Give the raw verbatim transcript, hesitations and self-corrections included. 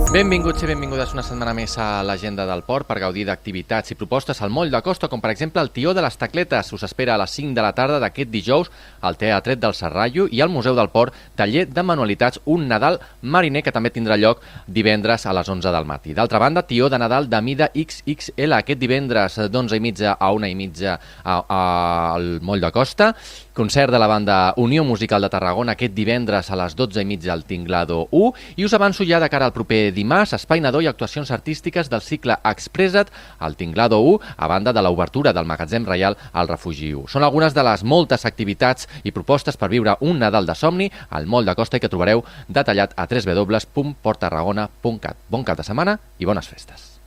Benvinguts i benvingudes una setmana més a l'agenda del port per gaudir d'activitats i propostes al moll de costa, com per exemple el Tió de les Tacletes. Us espera a les cinc de la tarda d'aquest dijous al Teatret del Serrallo i al Museu del Port, taller de manualitats Un Nadal Mariner, que també tindrà lloc divendres a les onze del matí. D'altra banda, Tió de Nadal de mida X X L aquest divendres d'onze i mitja a una i mitja al moll de costa. Concert de la banda Unió Musical de Tarragona aquest divendres a les dotze i mitja al Tinglado u. I us avanço ja de cara al proper dimarts, espai nadó i actuacions artístiques del cicle Expressa't al Tinglado u, a banda de l'obertura del Magatzem Reial al Refugi u. Són algunes de les moltes activitats i propostes per viure un Nadal de somni al moll de costa i que trobareu detallat a w w w punt port tarragona punt cat. Bon cap de setmana i bones festes.